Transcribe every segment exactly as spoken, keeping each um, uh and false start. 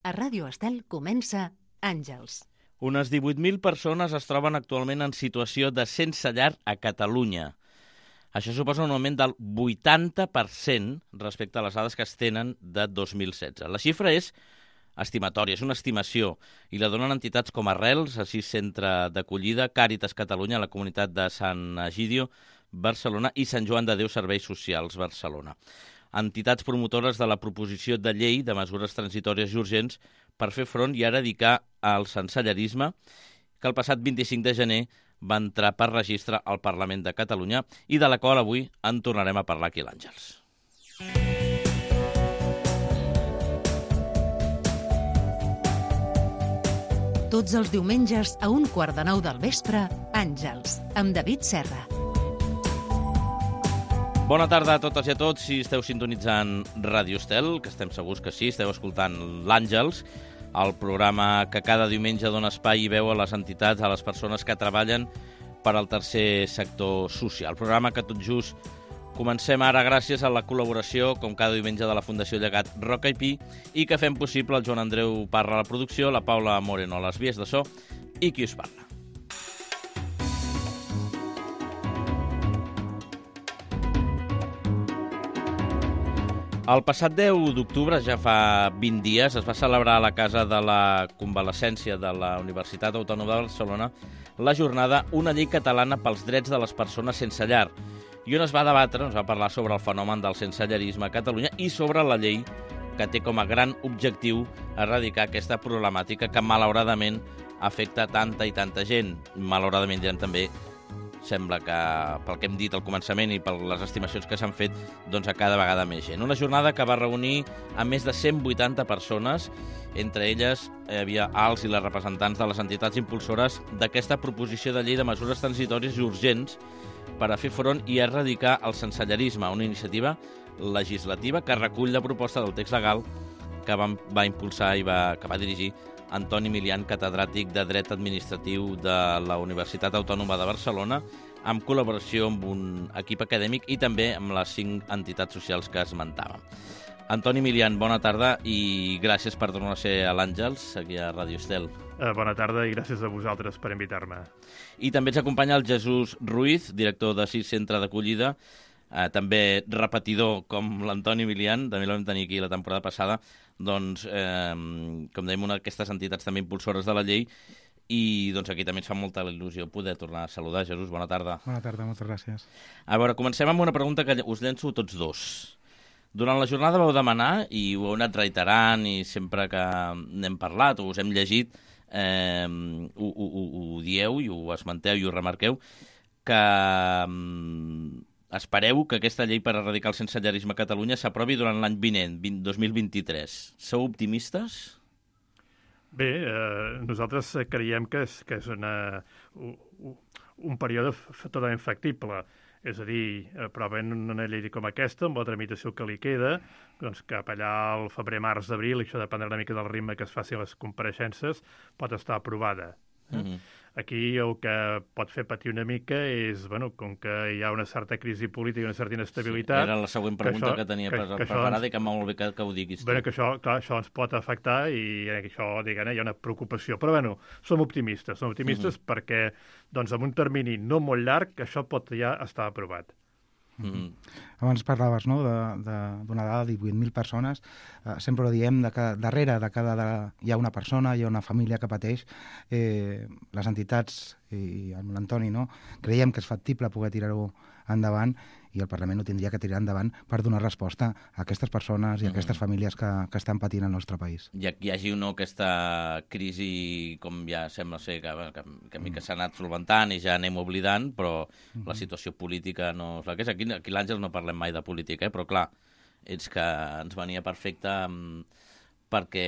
A Ràdio Estel comença Àngels. Unes divuit mil persones es troben actualment en situació de sense llar a Catalunya. Això suposa un augment del vuitanta per cent respecte a les dades que es tenen de dos mil setze. La xifra és estimatòria, és una estimació, i la donen entitats com Arrels, Assís Centre d'Acollida, Càritas Catalunya, la comunitat de Sant Egidio, Barcelona, i Sant Joan de Déu Serveis Socials, Barcelona. Entitats promotores de la proposició de llei de mesures transitòries i urgents per fer front i eradicar el sensellarisme, que el passat vint-i-cinc de gener va entrar per registre al Parlament de Catalunya i de la qual avui en tornarem a parlar aquí a l'Àngels. Tots els diumenges a un quart de nou del vespre, Àngels, amb David Serra. Bona tarda a totes i a tots. Si esteu sintonitzant Ràdio Estel, que estem segurs que sí, esteu escoltant l'Àngels, el programa que cada diumenge dona espai i veu a les entitats, a les persones que treballen per al tercer sector social. El programa que tot just comencem ara gràcies a la col·laboració, com cada diumenge, de la Fundació Llegat Roca i Pi, i que fem possible el Joan Andreu Parra a la producció, la Paula Moreno a les vies de so i qui us parla. El passat deu d'octubre, ja fa vint dies, es va celebrar a la Casa de la Convalescència de la Universitat Autònoma de Barcelona la jornada Una llei catalana pels drets de les persones sense llar, i on es va debatre, es va parlar sobre el fenomen del sensellarisme a Catalunya i sobre la llei que té com a gran objectiu erradicar aquesta problemàtica que malauradament afecta tanta i tanta gent. Malauradament ja també sembla que, pel que hem dit al començament i per les estimacions que s'han fet, doncs a cada vegada més gent. Una jornada que va reunir a més de cent vuitanta persones, entre elles hi havia els i les representants de les entitats impulsores d'aquesta proposició de llei de mesures transitòries i urgents per a fer front i erradicar el sensellarisme, una iniciativa legislativa que recull la proposta del text legal que va, va impulsar i va, que va dirigir Antoni Milian, catedràtic de Dret Administratiu de la Universitat Autònoma de Barcelona, amb col·laboració amb un equip acadèmic i també amb les cinc entitats socials que esmentàvem. Antoni Milian, bona tarda i gràcies per tornar a ser a l'Àngels, aquí a Ràdio Estel. Uh, bona tarda i gràcies a vosaltres per invitar-me. I també ens acompanya el Jesús Ruiz, director de Assís Centre d'Acollida, eh, també repetidor com l'Antoni Milian, també l'hem tenir aquí la temporada passada, doncs, eh, com dèiem, una d'aquestes entitats també impulsores de la llei, i doncs aquí també ens fa molta il·lusió poder tornar a saludar. Jesús, bona tarda. Bona tarda, moltes gràcies. A veure, comencem amb una pregunta que us llenço tots dos. Durant la jornada vau demanar, i ho heu anat reiterant, i sempre que n'hem parlat o us hem llegit, eh, ho, ho, ho, ho dieu i ho esmenteu i ho remarqueu, que eh, espereu que aquesta llei per erradicar el sensellarisme a Catalunya s'aprovi durant l'any vinent, dos mil vint-i-tres. Sou optimistes? Bé, eh, nosaltres creiem que és, que és una, un, un període totalment factible. És a dir, aprovant una llei com aquesta, amb la tramitació que li queda, doncs cap allà al febrer, març, abril, això dependrà una mica del ritme que es facin les compareixences, pot estar aprovada. Mm-hmm. Aquí el que pot fer patir una mica és, bueno, com que hi ha una certa crisi política i una certa inestabilitat... Sí, era la següent pregunta que, això, que tenia que, que preparada ens, i que molt bé que, que ho diguis. Bueno, que això, clar, això ens pot afectar i això, diguem, hi ha una preocupació. Però, bueno, som optimistes, som optimistes mm-hmm. perquè, doncs, en un termini no molt llarg, això pot ja estar aprovat. Mm-hmm. Abans parlaves, no?, d'una dada de divuit mil persones. Eh, sempre ho diem, de que darrere de cada de, hi ha una persona, hi ha una família que pateix. Eh, les entitats i amb l'Antoni, no?, creiem que és factible poder tirar-ho endavant i el Parlament ho tindria que tirar endavant per donar resposta a aquestes persones i a aquestes famílies que, que estan patint al nostre país. I hi hagi o no aquesta crisi, com ja sembla ser, que, que, que, que s'ha anat solventant i ja anem oblidant, però mm-hmm. la situació política no és la que és. Aquí, aquí a l'Àngels no parlem mai de política, eh? Però clar, és que ens venia perfecte um, perquè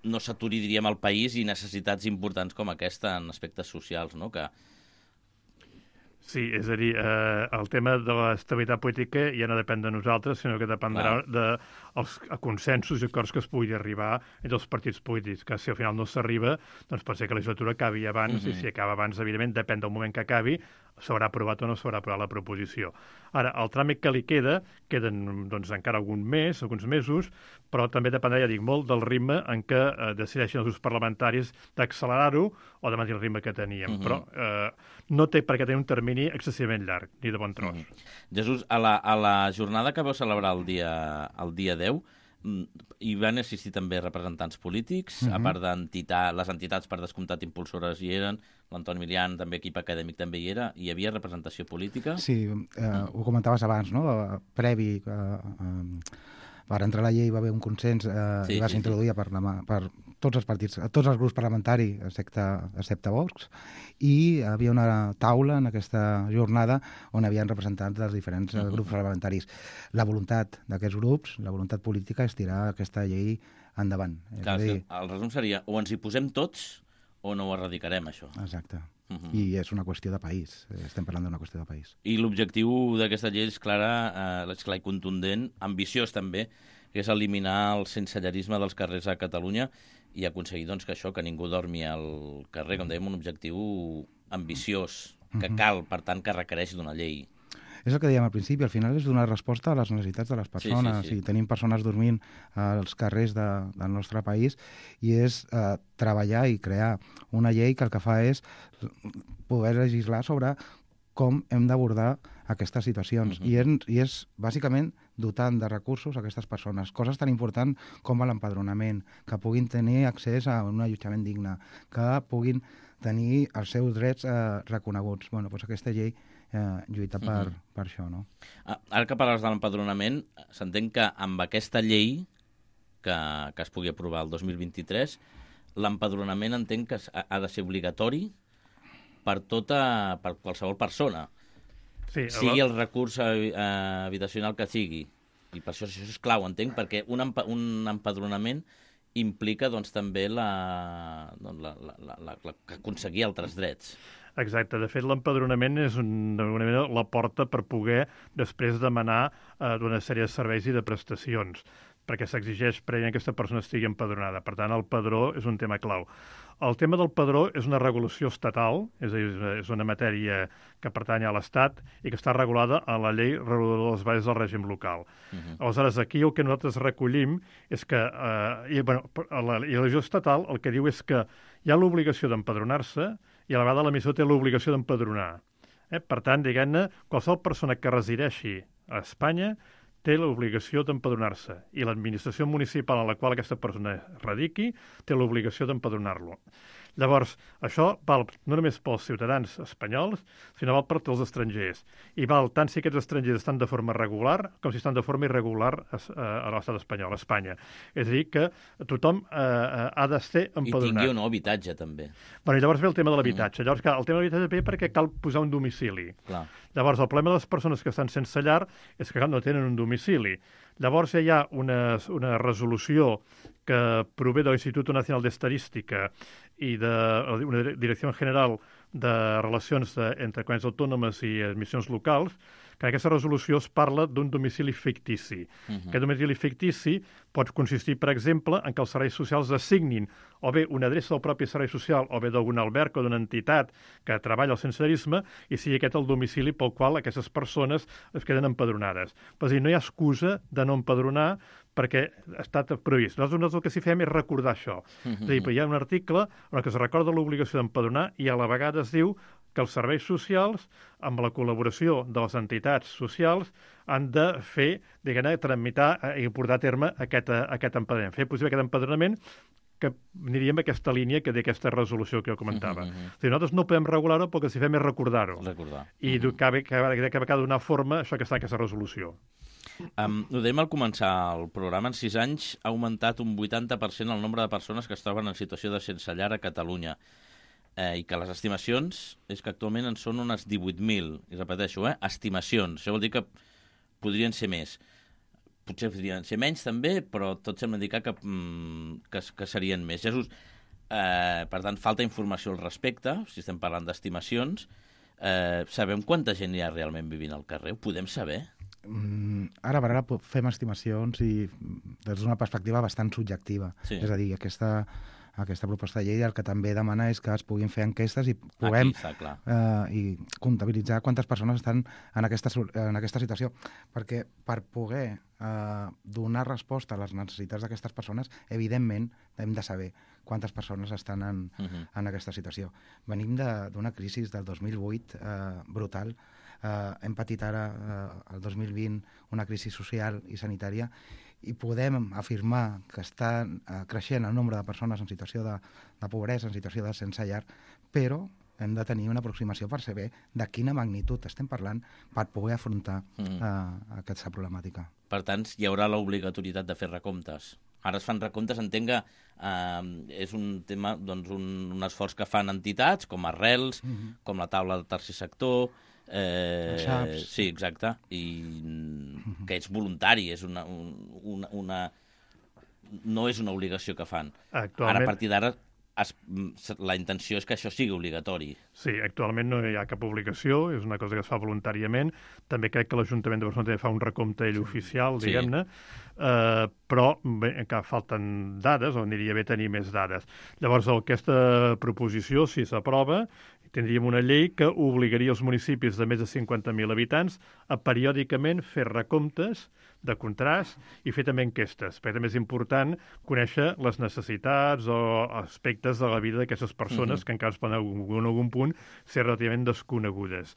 no s'aturi, diríem, el país i necessitats importants com aquesta en aspectes socials, no?, que Sí, és a dir, eh, el tema de l'estabilitat política ja no depèn de nosaltres, sinó que dependrà de, els consensos i acords que es pugui arribar entre els partits polítics, que si al final no s'arriba, doncs pot ser que la legislatura acabi abans, mm-hmm. i si acaba abans, evidentment, depèn del moment que acabi, s'haurà aprovat o no s'haurà aprovat la proposició. Ara, el tràmit que li queda, queden doncs, encara algun mes, alguns mesos, però també dependrà, ja dic, molt del ritme en què eh, decideixen els grups parlamentaris d'accelerar-ho o de mantenir el ritme que teníem. Mm-hmm. Però eh, no té per què tenir un termini excessivament llarg, ni de bon tros. Mm-hmm. Jesús, a la, a la jornada que vau celebrar el dia, el dia deu, hi van assistir també representants polítics, mm-hmm. a part d'entitats, les entitats per descomptat impulsores hi eren, l'Antoni Milian, també equip acadèmic també hi era, hi havia representació política? Sí, eh, mm. ho comentaves abans, no? Previ, eh, eh, per entrar a la llei va haver un consens eh, sí, i va ser sí, introduïda sí. per, la, per tots els partits, tots els grups parlamentaris, excepte, excepte Vox, i hi havia una taula en aquesta jornada on hi havia representants dels diferents uh-huh. grups parlamentaris. La voluntat d'aquests grups, la voluntat política, és tirar aquesta llei endavant. Clar, és dir... el resum seria o ens hi posem tots o no ho erradicarem, això. Exacte. Uh-huh. I és una qüestió de país. Estem parlant d'una qüestió de país. I l'objectiu d'aquesta llei és clara, eh, és clar i contundent, ambiciós també, que és eliminar el sensellarisme dels carrers a Catalunya i aconseguir doncs, que això, que ningú dormi al carrer, com dèiem, un objectiu ambiciós, que cal, per tant, que requereix d'una llei. És el que dèiem al principi, al final és donar resposta a les necessitats de les persones. Sí, sí, sí. I tenim persones dormint als carrers de, del nostre país i és eh, treballar i crear una llei que el que fa és poder legislar sobre com hem d'abordar aquestes situacions. Uh-huh. I, en, I és, bàsicament, dotant de recursos a aquestes persones. Coses tan importants com l'empadronament, que puguin tenir accés a un allotjament digne, que puguin tenir els seus drets eh, reconeguts. Bueno, doncs aquesta llei eh, lluita per, uh-huh. per això, no? Ah, ara que parles de l'empadronament, s'entén que amb aquesta llei que, que es pugui aprovar el dos mil vint-i-tres, l'empadronament entenc que ha de ser obligatori per tota, per qualsevol persona. Sí, sigui el recurs habitacional que sigui. I per això, això és clau, entenc, perquè un, empa, un empadronament implica doncs, també la, doncs, la, la, la, la, la, aconseguir altres drets. Exacte. De fet, l'empadronament és d'alguna manera la porta per poder després demanar eh, una sèrie de serveis i de prestacions, perquè s'exigeix prèviament que aquesta persona estigui empadronada. Per tant, el padró és un tema clau. El tema del padró és una regulació estatal, és a dir, és una matèria que pertany a l'Estat i que està regulada a la llei reguladora de les bases del règim local. Uh-huh. Aleshores, aquí el que nosaltres recollim és que, eh, i, bueno, la, i la legislació estatal el que diu és que hi ha l'obligació d'empadronar-se i a la vegada l'emissor té l'obligació d'empadronar. Eh? Per tant, diguem-ne, qualsevol persona que resideixi a Espanya té l'obligació d'empadronar-se i l'administració municipal en la qual aquesta persona radiqui té l'obligació d'empadronar-lo. Llavors, això val no només pels ciutadans espanyols, sinó val per tots els estrangers. I val tant si aquests estrangers estan de forma regular com si estan de forma irregular a, a l'estat espanyol, a Espanya. És a dir, que tothom eh, ha de ser empadronat. I tingui un nou habitatge, també. Bueno, i llavors ve el tema de l'habitatge. Mm. Llavors, clar, el tema de l'habitatge ve perquè cal posar un domicili. Clar. Llavors, el problema de les persones que estan sense llar és que no tenen un domicili. Llavors, ja hi ha una, una resolució que prové de l'Institut Nacional d'Estadística i de una Direcció General de Relacions de, entre Comunitats Autònomes i Administracions Locals, que en aquesta resolució es parla d'un domicili fictici. Uh-huh. Aquest domicili fictici pot consistir, per exemple, en que els serveis socials assignin o bé una adreça del propi servei social o bé d'algun alberg o d'una entitat que treballa al sensellarisme i sigui aquest el domicili pel qual aquestes persones es queden empadronades. És a dir, no hi ha excusa de no empadronar perquè ha estat previst. Nosaltres el que s'hi fem és recordar això. Uh-huh. És a dir, hi ha un article en què es recorda l'obligació d'empadronar i a la vegada es diu que els serveis socials, amb la col·laboració de les entitats socials, han de fer, diguem-ne, tramitar i portar a terme aquest, aquest empadronament. Fer possible aquest empadronament que aniríem a aquesta línia que té aquesta resolució que jo comentava. Uh -huh. És a dir, nosaltres no podem regular-ho perquè si fem és recordar-ho. Recordar. I uh -huh. cabe, cabe, cabe donar forma a això que està en aquesta resolució. Um, ho dèiem al començar el programa, en sis anys ha augmentat un vuitanta per cent el nombre de persones que es troben en situació de sense llar a Catalunya. Eh, i que les estimacions és que actualment en són unes divuit mil, i repeteixo, eh, estimacions. Això vol dir que podrien ser més. Potser podrien ser menys també, però tot sembla indicar que, mm, que, que serien més. Jesús, eh, per tant, falta informació al respecte, si estem parlant d'estimacions. Eh, sabem quanta gent hi ha realment vivint al carrer? Ho podem saber? Ara per ara fem estimacions i des d'una perspectiva bastant subjectiva. Sí. És a dir, aquesta, aquesta proposta de llei el que també demana és que es puguin fer enquestes i puguem Aquí està, clar. eh, i comptabilitzar quantes persones estan en aquesta, en aquesta situació. Perquè per poder eh, donar resposta a les necessitats d'aquestes persones, evidentment hem de saber quantes persones estan en, uh -huh. en aquesta situació. Venim d'una crisi del dos mil vuit eh, brutal. Uh, hem patit ara, uh, el dos mil vint, una crisi social i sanitària i podem afirmar que està uh, creixent el nombre de persones en situació de, de pobresa, en situació de sense llar, però hem de tenir una aproximació per saber de quina magnitud estem parlant per poder afrontar mm. uh, aquesta problemàtica. Per tant, hi haurà l'obligatorietat de fer recomptes. Ara es fan recomptes, entenc que eh, és un tema, doncs, un, un esforç que fan entitats com Arrels, mm-hmm. com la taula del tercer sector. Eh, sí, exacte, i que és voluntari, és una, una, una no és una obligació que fan. Actualment... Ara, a partir d'ara, es, la intenció és que això sigui obligatori. Sí, actualment no hi ha cap obligació, és una cosa que es fa voluntàriament. També crec que l'Ajuntament de Barcelona també fa un recompte ell oficial, sí. diguem-ne, eh, però bé, encara falten dades, o aniria bé tenir més dades. Llavors, aquesta proposició, si s'aprova, tindríem una llei que obligaria els municipis de més de cinquanta mil habitants a periòdicament fer recomptes de contrast i fer també enquestes, perquè també és important conèixer les necessitats o aspectes de la vida d'aquestes persones uh-huh. que encara es poden en algun punt ser relativament desconegudes.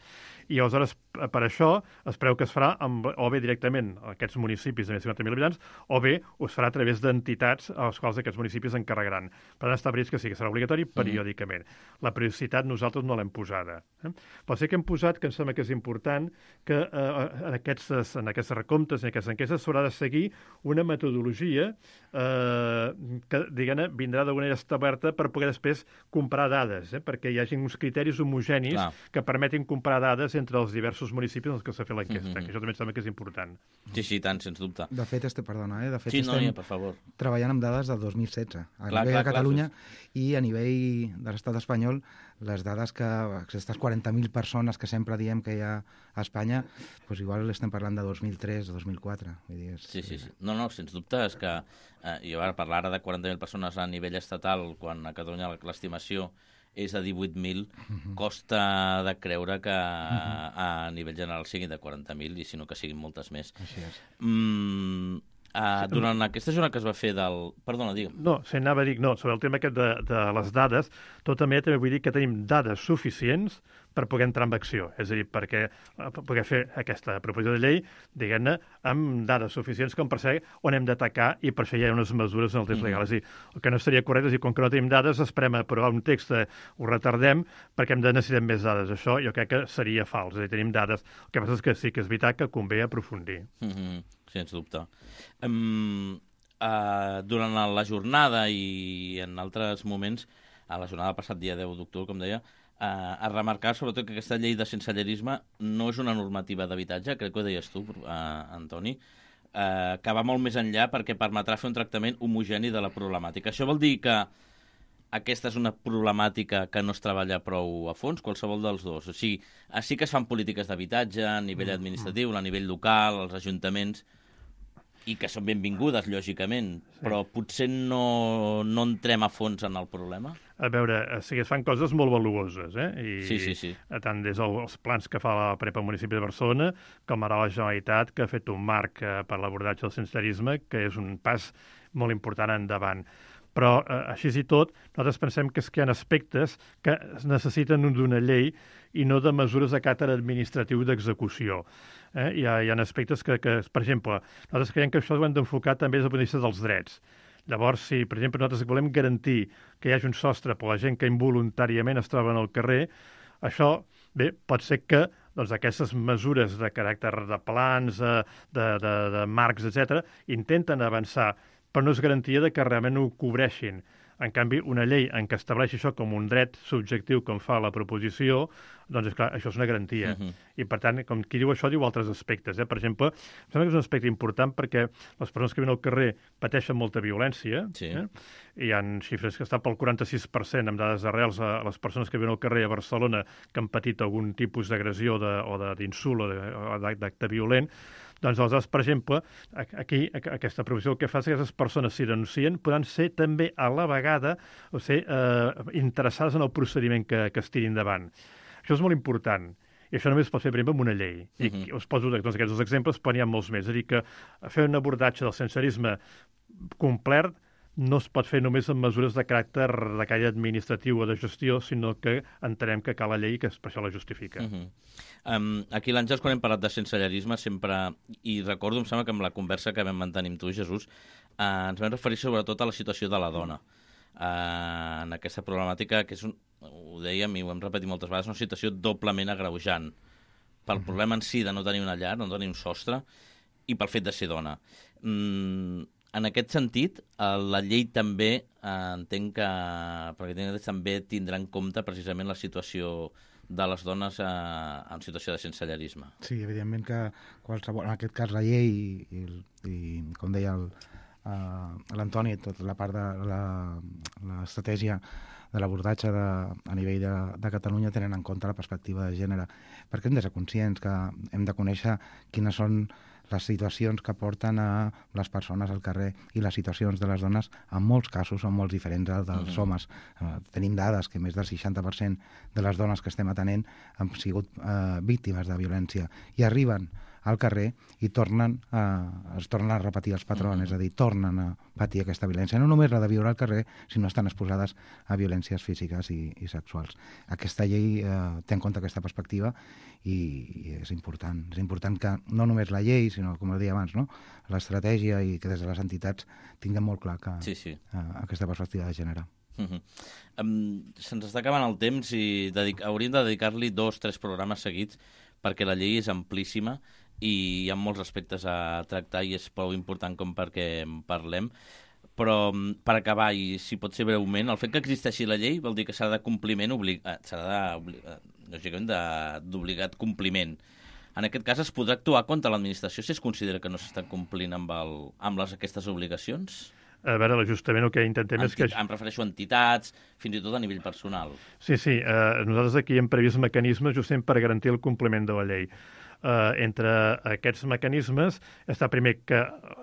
I aleshores, per això, es preveu que es farà amb, o bé directament a aquests municipis de més de cinquanta mil habitants, o bé es farà a través d'entitats a les quals aquests municipis encarregaran. Per tant, està previst que sí, que serà obligatori periòdicament. Uh-huh. La periodicitat nosaltres no l'hem posada. Eh? Però sí que hem posat, que em sembla que és important, que eh, en, aquests, en aquests recomptes, en aquestes enquestes, s'haurà de seguir una metodologia eh, que, diguem-ne, vindrà d'alguna manera establerta per poder després comparar dades, eh? perquè hi hagi uns criteris homogenis Clar. que permetin comparar dades entre els diversos municipis en els que s'ha fet l'enquesta, mm-hmm. que això també em sembla que és important. Sí, sí, tant, sens dubte. De fet, este, perdona, eh? de fet sí, estem no, ja, per favor. treballant amb dades del dos mil setze, a clar, nivell clar, de Catalunya clar, i a nivell de l'estat espanyol, les dades que, aquestes quaranta mil persones que sempre diem que hi ha a Espanya, doncs igual estem parlant de dos mil tres o dos mil quatre. Vull dir, és, sí, sí, sí. No, no, sens dubte és que, eh, jo ara parlar ara de quaranta mil persones a nivell estatal, quan a Catalunya l'estimació és de divuit mil, uh-huh. costa de creure que uh-huh. a nivell general siguin de quaranta mil i si no que siguin moltes més. Així és. Mm, Uh, durant aquesta jornada que es va fer del... Perdona, digue'm. No, se n'anava a dir, no, sobre el tema aquest de, de les dades, tot també també vull dir que tenim dades suficients per poder entrar en acció. És a dir, perquè per poder fer aquesta proposició de llei, diguem-ne, amb dades suficients com per saber on hem d'atacar i per això hi ha unes mesures en el text mm-hmm. legal. És a dir, el que no seria correcte és dir, com que no tenim dades, esperem a aprovar un text, ho retardem perquè hem de necessitar més dades. Això jo crec que seria fals. És a dir, tenim dades. El que passa és que sí que és veritat que convé aprofundir. Mm-hmm. Sens dubte. Um, uh, durant la jornada i en altres moments, a la jornada del passat dia deu d'octubre, com deia, uh, a remarcar sobretot que aquesta llei de sensellarisme no és una normativa d'habitatge, crec que ho deies tu, uh, Antoni, uh, que va molt més enllà perquè permetrà fer un tractament homogeni de la problemàtica. Això vol dir que aquesta és una problemàtica que no es treballa prou a fons, qualsevol dels dos. O sigui, sí que es fan polítiques d'habitatge a nivell administratiu, a nivell local, als ajuntaments, i que són benvingudes, lògicament, sí. però potser no, no entrem a fons en el problema? A veure, sí que es fan coses molt valuoses, eh? I sí, sí, sí. tant des dels plans que fa la Prepa municipi de Barcelona, com ara la Generalitat, que ha fet un marc per l'abordatge del sensellarisme, que és un pas molt important endavant. Però, eh, així i tot, nosaltres pensem que, és que hi ha aspectes que es necessiten d'una llei i no de mesures de caràcter administratiu d'execució. Eh? Hi, ha, hi ha aspectes que, que, per exemple, nosaltres creiem que això ho hem d'enfocar també des del punt de vista dels drets. Llavors, si, per exemple, nosaltres volem garantir que hi hagi un sostre per a la gent que involuntàriament es troba en el carrer, això, bé, pot ser que doncs, aquestes mesures de caràcter de plans, de, de, de, de marcs, etcètera, intenten avançar, però no és garantia de que realment ho cobreixin. En canvi, una llei en què estableix això com un dret subjectiu, com fa la proposició, doncs, és clar, això és una garantia. Uh-huh. I, per tant, com qui diu això, diu altres aspectes. Eh? Per exemple, em sembla que és un aspecte important perquè les persones que viuen al carrer pateixen molta violència. Sí. Eh? Hi ha xifres que estan pel quaranta-sis per cent amb dades arrels a les persones que viuen al carrer a Barcelona que han patit algun tipus d'agressió de, o d'insult o d'acte violent. Doncs, aleshores, per exemple, aquí aquesta provisió el que fa és que aquestes persones, si denuncien, podran ser també a la vegada o ser eh, interessades en el procediment que, que es tiri endavant. Això és molt important. I això només es pot fer, per exemple, amb una llei. I uh-huh. us poso doncs, aquests dos exemples, però n'hi ha molts més. És a dir, que fer un abordatge del sensellarisme complet no es pot fer només amb mesures de caràcter de caire administratiu o de gestió, sinó que entenem que cal la llei que per això la justifica. Uh-huh. um, aquí l'Àngels, quan hem parlat de sensellarisme, sempre, i recordo, em sembla que amb la conversa que vam mantenir amb tu, Jesús, uh, ens vam referir sobretot a la situació de la dona. Uh, en aquesta problemàtica, que és un, ho dèiem i ho hem repetit moltes vegades, una situació doblement agreujant pel uh-huh. problema en si de no tenir una llar, no tenir un sostre, i pel fet de ser dona. Mm, en aquest sentit, la llei també eh, entenc que perquè també tindrà en compte precisament la situació de les dones eh, en situació de sensellarisme. Sí, evidentment que qualsevol, en aquest cas la llei i, i, i com deia el, uh, l'Antoni, tota la part de l'estratègia de l'abordatge a nivell de, de Catalunya tenen en compte la perspectiva de gènere, perquè hem de ser conscients que hem de conèixer quines són les situacions que porten a les persones al carrer i les situacions de les dones en molts casos són molt diferents dels uh-huh. homes. Uh, tenim dades que més del seixanta per cent de les dones que estem atenent han sigut uh, víctimes de violència i arriben al carrer i tornen a, es tornen a repetir els patrons, uh-huh. és a dir, tornen a patir aquesta violència. No només la de viure al carrer, sinó estan exposades a violències físiques i, i sexuals. Aquesta llei eh, té en compte aquesta perspectiva i, i és important. És important que no només la llei, sinó, com deia abans, no? l'estratègia i que des de les entitats tinguem molt clar que sí, sí. Eh, aquesta perspectiva de gènere. Uh-huh. Um, se'ns està acabant el temps i dedic- hauríem de dedicar-li dos, tres programes seguits perquè la llei és amplíssima i hi ha molts aspectes a tractar i és prou important com perquè en parlem. Però, per acabar, i si pot ser breument, el fet que existeixi la llei vol dir que serà de compliment, obli- serà d'obligat compliment. En aquest cas, es podrà actuar contra l'administració si es considera que no s'està complint amb, el, amb les, aquestes obligacions? A veure, justament el que intentem Enti- és que... Em refereixo a entitats, fins i tot a nivell personal. Sí, sí, eh, nosaltres aquí hem previst mecanismes justament per garantir el compliment de la llei. Uh, entre aquests mecanismes està primer que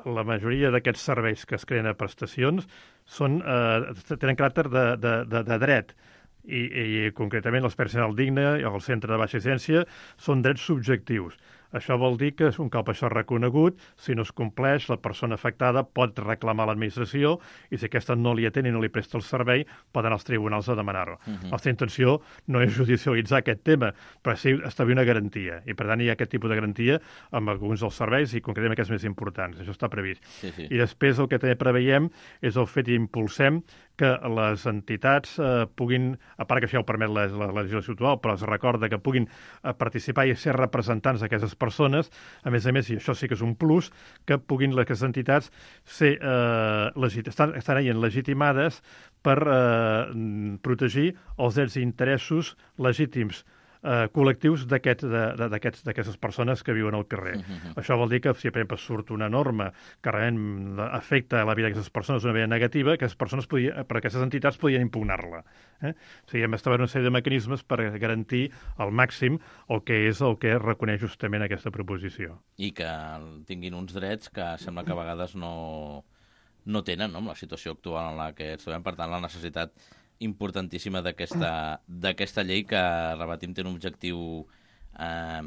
la majoria d'aquests serveis que es creen a prestacions són, uh, tenen caràcter de, de, de, de dret i, i concretament les personal digne i el centre de baixa incidència són drets subjectius. Això vol dir que un cop això reconegut, si no es compleix, la persona afectada pot reclamar a l'administració i si aquesta no li atén i no li presta el servei, pot anar als tribunals a demanar-ho. Uh-huh. La nostra intenció no és judicialitzar aquest tema, però sí establir una garantia. I per tant hi ha aquest tipus de garantia amb alguns dels serveis i concretament aquests més importants. Això està previst. Sí, sí. I després el que també preveiem és el fet i impulsem que les entitats eh, puguin, a part que això ja ho permet la, la, la legislació actual, però es recorda que puguin eh, participar i ser representants d'aquestes persones, a més a més, i això sí que és un plus, que puguin les entitats ser, eh, legit, estan, estan ahí legitimades per eh, protegir els drets i interessos legítims eh, col·lectius d'aquest, de, de, d'aquests, d'aquestes persones que viuen al carrer. Uh-huh. Això vol dir que si, per exemple, surt una norma que realment afecta la vida d'aquestes persones d'una manera negativa, que les persones podien, per aquestes entitats podien impugnar-la. Eh? O sigui, hem d'establir una sèrie de mecanismes per garantir al màxim el que és el que reconeix justament aquesta proposició. I que tinguin uns drets que sembla que a vegades no, no tenen, no?, amb la situació actual en la que ens trobem. Per tant, la necessitat importantíssima d'aquesta, d'aquesta llei que, repetim, té un objectiu eh,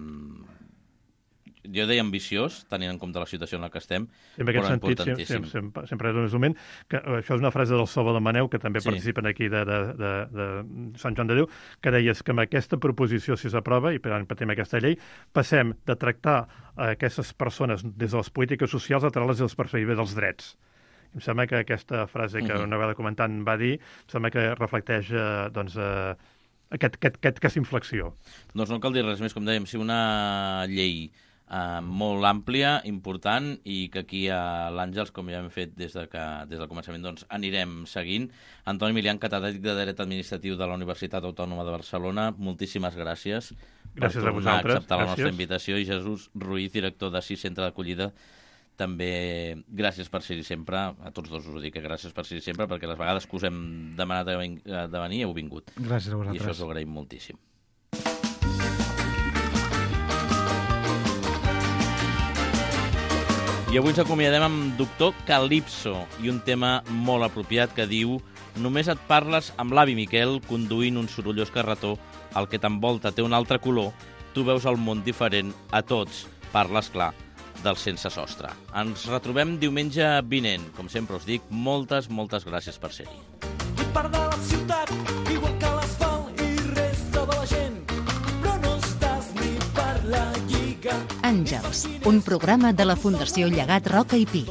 jo deia ambiciós, tenint en compte la situació en la que estem, en però sentit, importantíssim. Sempre, sempre, sempre és un moment que això és una frase del Salvador Maneu, que també sí. participen aquí de, de, de, de Sant Joan de Déu, que deies que amb aquesta proposició, si s'aprova, i per tant patim aquesta llei, passem de tractar aquestes persones des de les polítiques socials a tractar-les des de la perspectiva dels drets. Em sembla que aquesta frase que una vegada comentant va dir, em sembla que reflecteix eh, doncs, eh, aquest, aquest, aquest, aquesta inflexió. Doncs no cal dir res més, com dèiem, si una llei eh, molt àmplia, important, i que aquí a l'Àngels, com ja hem fet des, de que, des del començament, doncs anirem seguint. Antoni Milian, catedràtic de Dret Administratiu de la Universitat Autònoma de Barcelona, moltíssimes gràcies, gràcies per tornar a, a acceptar la gràcies. nostra invitació, i Jesús Ruiz, director de SIS Centre d'Acollida, també gràcies per ser-hi sempre, a tots dos us ho dic, que gràcies per ser-hi sempre, perquè les vegades que us hem demanat de venir heu vingut. Gràcies a vosaltres. I això us ho agraïm moltíssim. I avui ens acomiadem amb Doctor Calypso i un tema molt apropiat que diu: només et parles amb l'avi Miquel conduint un sorollós carretó, el que t'envolta té un altre color, tu veus el món diferent, a tots parles clar del sense sostre. Ens retrobem diumenge vinent. Com sempre us dic, moltes, moltes gràcies per ser-hi. I part de la ciutat, igual que l'asfalt i resta de la gent, però no estàs ni per la lliga. Àngels, un programa de la Fundació Llegat Roca i Pi.